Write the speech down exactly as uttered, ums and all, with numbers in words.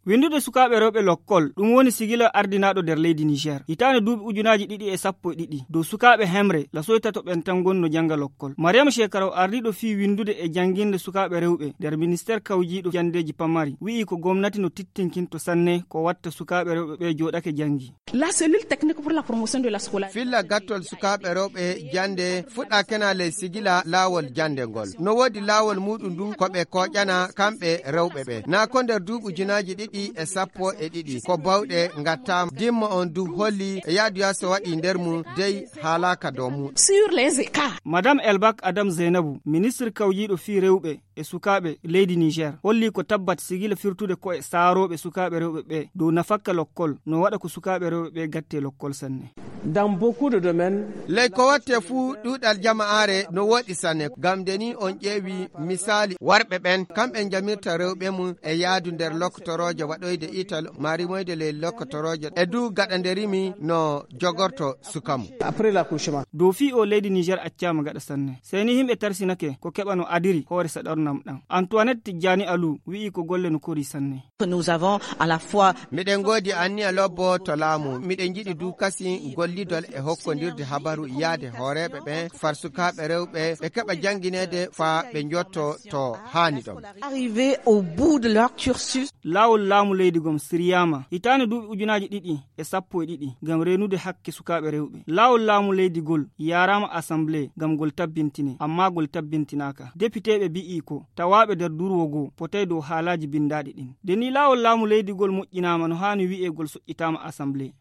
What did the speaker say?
Winndude sukaaɓe rewɓe lokkol, ɗum woni sigila ardinaaɗo nder leydi Niger. Hitaande duuɓi ujunaaji ɗiɗi e sappo e ɗiɗi, dow sukaaɓe hemre, lasoytato ɓen tan ngoni no jannga lokkol. Mariam Shekaraw, ardiiɗo fii winndude e jannginde sukaaɓe rewɓe nder ministeer kawjiiɗo janndeeji pamari, wi'i ko gomnati no tittinkinto sanne ko watta sukaaɓe rewɓe ɓe jooɗake janngi. La cellule technique pour la promotion de la scolarité. Filla gattol sukaaɓe rewɓe jannde fuɗɗa kena ley sigila laawol jannde ngol. No woodi laawol muuɗum ndu ko ɓe kooƴana kamɓe rewɓe ɓe. Naa ko nder duuɓi ujunaaji ɗiɗi e sappo e ɗiɗi, ko bawɗe ngattaama. Dimma on du holli e yaadu yaaso waɗi nder mum, dey haalaaka dow mum. Sur les écarts. Madame Elbak Adam Zainabu, ministre kawjiiɗo fii rewɓe e sukaaɓe leydi Niger, holli ko tabbat sigila firtude ko'e saarooɓe sukaaɓe rewɓe ɓe dow nafakka lokkol, no waɗa ko sukaaɓe rewɓe ɓe gatte lokkol sanne. Dans beaucoup de domaines. Ley ko watte fuu ɗuuɗal jama'aare no woɗi sanne, ngam nde ni on ƴeewi misaali worɓe ɓen, kamɓe njamirta rewɓe mum e yaadu nder loktorooje waɗoyde ital, maa rimoyde ley loktorooje, e du gaɗa nde rimi no jogorto suka mum. Après l'accouchement. Dow fii o leydi Niger accaama gaɗa sanne. Sey ni himɓe tarsinake ko keɓa no adiri hoore saɗornam ɗam. Antoinette Tijjani Alou wi'i ko golle no kori sanne. Nous avons à la fois. Miɗen ngoodi anniya lobbo to laamu. Miɗen njiɗi du kasi gollidol e hokkondirde habaru yaade hooreeɓe ɓen far sukaaɓe rewɓe ɓe keɓa janngineede faa ɓe njotto to haani ɗon. Arrivé au bout de leur cursus. Laawol laamu leydi gom siryaama hitaande duuɓi ujunaaji ɗiɗi e sappo e ɗiɗi ngam reenude hakke sukaaɓe rewɓe. Laawol laamu leydi gol yaaraama assemblée ngam ngol tabbintine, ammaa ngol tabbintinaaka. Depiteeɓe bi'i ko tawaaɓe nder durwo goo potay dow haalaaji binndaaɗi ɗin. Nde ni laawol laamu leydi gol moƴƴinaama no haani wi'ee gol soƴƴitaama assemblée.